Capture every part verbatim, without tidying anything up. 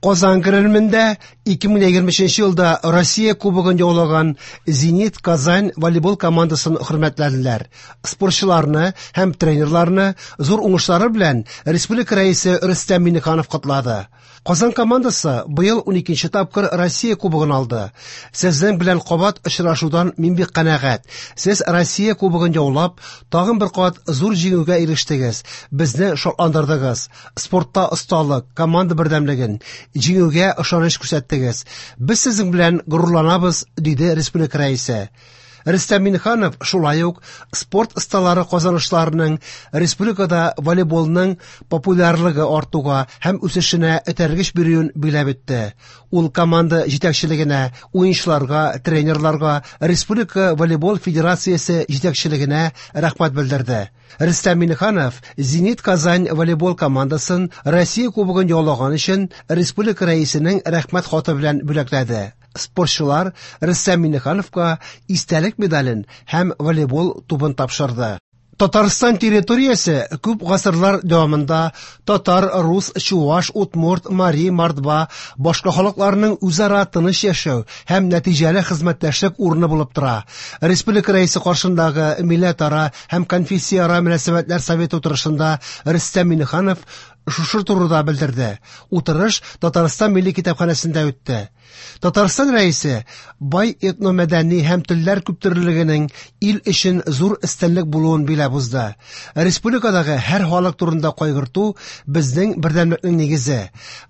Казан Кремлендә ике мең егерме өченче елда Россия Кубогын яулаган Зенит Казань волейбол командасын хөрмәтләделәр. Спортчыларны һәм тренерларны зур уңышлары белән республика рәисе Рөстәм Миңнеханов котлады. Казан командасы быел уникенче тапкыр Россия Кубогын алды. Сезнең белән кабат очрашудан мин бик канәгать. Сез Россия Кубогын яулап, тагын бер кат зур җиңүгә ирештегез. Безне шатландырдыгыз. Спортта осталык, команда бердәмлеген, җиңүгә ышаныч күрсәттегез. Без сезнең белән горурланабыз, диде республика рәисе. Рөстәм Миңнеханов шулай ук спорт осталары казанышларының республикада волейболның популярлыгы артуга һәм үсешенә этәргеч бирүен билгеләп үтте. Ул команда җитәкчелегенә, уенчыларга, тренерларга, Республика волейбол федерациясе җитәкчелегенә рәхмәт белдерде. Рөстәм Миңнеханов Зенит Казань волейбол командасын Россия Кубогын яулаган өчен республика рәисенең рәхмәт хаты белән бүләкләде. Спортчылар Рөстәм Миңнехановка истәлек медален һәм волейбол тубын тапшырды. Татарстан территориясе күп гасырлар дәвамында татар, рус, чуваш, удмурт, мари, мордва, башка халыкларның үзара тыныч яшәү һәм нәтиҗәле хезмәттәшлек урыны булып тора. Республика рәисе каршындагы милләтара һәм конфессияара мөнәсәбәтләр советы утырышында Рөстәм Миңнеханов шушы турыда белдерде. Утырыш Татарстан Милли китапханәсендә үтте. Татарстан рәисе бай этномәдәни һәм телләр күптөрлелегенең ил өчен зур өстенлек булуын биләп узды. Республикадагы һәр халык турында кайгырту безнең бердәмлекнең нигезе.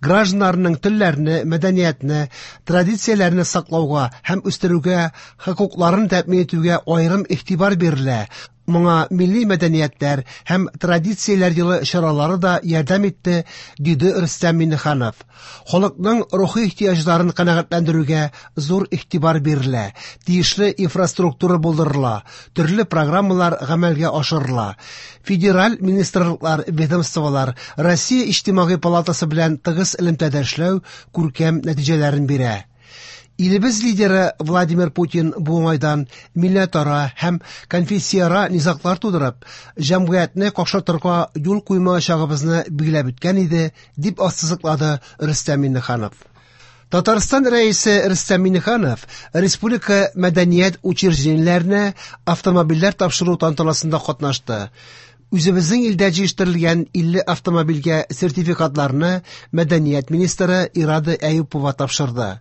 Гражданнарның телләрне, мәдәниятне, традицияләрне саклауга һәм үстерүгә хокукларын тәэмин итүгә аерым игътибар бирелә. Моңа милли мәдәниятләр һәм традицияләр елы чаралары да ярдәм итте, диде Рөстәм Миңнеханов. Халыкның рухи ихтыяҗларын канәгатьләндерүгә зур игътибар бирелә, тиешле инфраструктура булдырыла, төрле программалар гамәлгә ашырыла. Федераль министрлыклар, ведомстволар Россия Иҗтимагый палатасы белән тыгыз элемтәдә эшләү күркәм нәтиҗәләрен бирә. Илебез лидеры Владимир Путин бу уңайдан милләтара һәм конфессияара низаглар тудырып, җәмгыятьне какшатырга юл куймаячагыбызны билгеләп үткән иде, дип ассызыклады Рөстәм Миңнеханов. Татарстан рәисе Рөстәм Миңнеханов республика мәдәният учреждениеләренә автомобильләр тапшыру тантанасында катнашты. Үзебезнең илдә җитештерелгән илле автомобильгә сертификатларны мәдәният министры Ирада Әюпова тапшырды.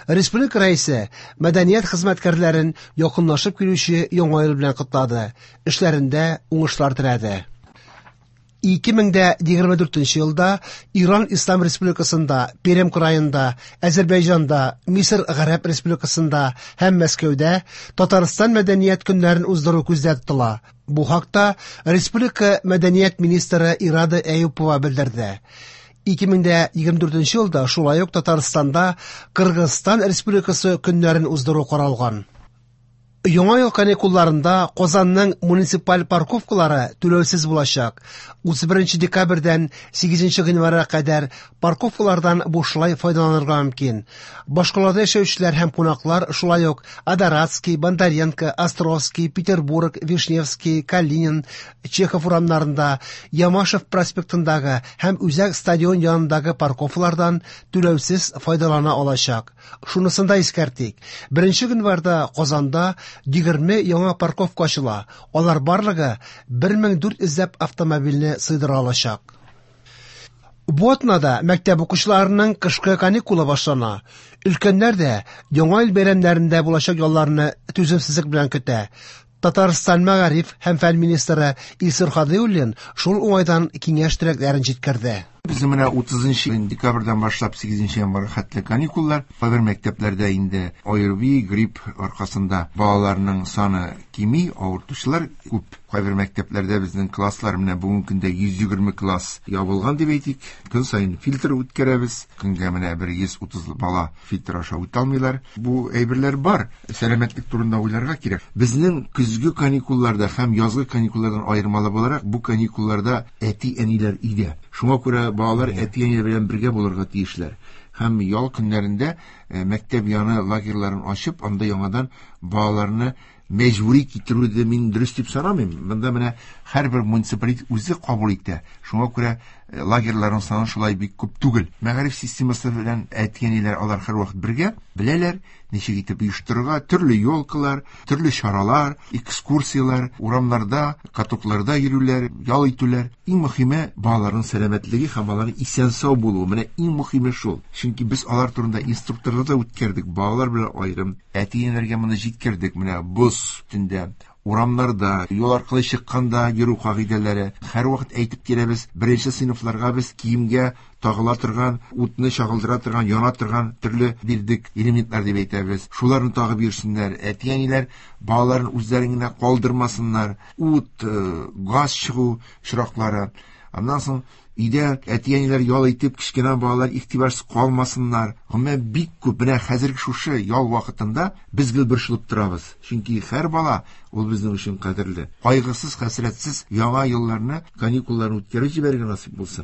Республика рәисе мәдәният хезмәткәрләрен якынлашып килүче яңа ел белән котлады, эшләрендә уңышлар теләде. Ике мең дә егерме дүртенче елда Иран Ислам Республикасында, Пермь краенда, Азербайҗанда, Мисыр Гарәп Республикасында һәм Мәскәүдә Татарстан мәдәният көннәрен уздыру күздә тотыла. Бу хакта Республика мәдәният министры Ирада Әюпова белдерде. Ике мең дә егерме дүртенче елда шулай ук Татарстанда Кыргызстан Республикасы көннәрен уздыру каралган. Яңа ел каникулларында Казанның муниципаль парковкалары түләүсез булачак. Утыз беренче декабрьдән сигезенче гыйнварга кадәр парковкалардан бушлай файдаланырга мөмкин. Башкалада яшәүчеләр һәм кунаклар шулай ук Адоратский, Бондаренко, Островский, Петербург, Вишневский, Калинин, Чехов урамнарында, Ямашев проспектындагы һәм Үзәк стадион янындагы парковкалардан түләүсез файдалана алачак. Шунысын да искәртик. Беренче гыйнварда Казанда егерме яңа парковка ачыла. Алар барлыгы бер мең дүрт йөзләп автомобильне сыйдыра алачак. Бу атнада мәктәп укучыларының кышкы каникулы башлана. Өлкәннәр дә яңа ел бәйрәмнәрендә булачак ялларны түземсезлек белән көтә. Татарстан мәгариф һәм фән министры Илсур Һадиуллин шул уңайдан киңәш теләкләрен җиткерде. Безнең менә утызынчы декабрьдән башлап сигезенче январьга хәтле каникуллар. Кайбер мәктәпләрдә инде ОРВИ, грипп аркасында балаларның саны кими, авыртучылар күп. Кайбер мәктәпләрдә безнең класслар менә бүгенге көндә йөз егерме класс ябылган дип әйтик. Көн саен фильтр үткәрәбез. Көнгә менә бер йөз утыз бала фильтр аша үтә алмыйлар. Бу әйберләр бар. Сәламәтлек турында уйларга кирәк. Безнең көзге каникулларда һәм язгы каникуллардан аермалы буларак, бу каникулларда әти-әниләр өйдә. Шуңа күрә балалар әти-әниләр белән бергә булырга тиешләр. Һәм ял көннәрендә, э, мәктәп яны лагерьларын ачып, анда яңадан балаларны мәҗбүри китерүне мин дөрес дип санамыйм. Монда менә Һәрбер муниципалитет үзе кабул итә. Шуңа күрә лагерьларның саны шулай бик күп түгел. Мәгариф системасы белән әти-әниләр алар һәрвакыт бергә беләләр, ничек итеп оештырырга, төрле елкалар, төрле чаралар, экскурсияләр, урамнарда, катокларда йөрүләр, ял итүләр. Иң мөһиме балаларның сәламәтлеге һәм аларның исән-сау булуы. Менә иң мөһиме шул. Чөнки без алар турында инструкторлар да үткәрдек, балалар белән аерым. Әти-әниләргә моны җиткердек. Менә боз өстендә, урамнарда, юл аркылы чыкканда йөрү кагыйдәләре. Һәрвакыт әйтеп киләбез, беренче сыйныфларга без киемгә тагыла торган, утны чагылдыра торган, яна торган төрле бирдек элементлар дип әйтәбез. Шуларны тагып йөрсеннәр. Әти-әниләр балаларын үзләрен генә калдырмасыннар. Ут, газ чыгу очраклары. Аннан соң өйдә әти-әниләр ял итеп, кечкенә балалар игътибарсыз калмасыннар. Гомумән бик күп. Менә хәзерге шушы ял вакытында без гел борчылып торабыз. Чөнки һәр бала ул безнең өчен кадерле. Кайгысыз, хәсрәтсез яңа елларны, каникулларны үткәреп җибәрергә насыйп булсын.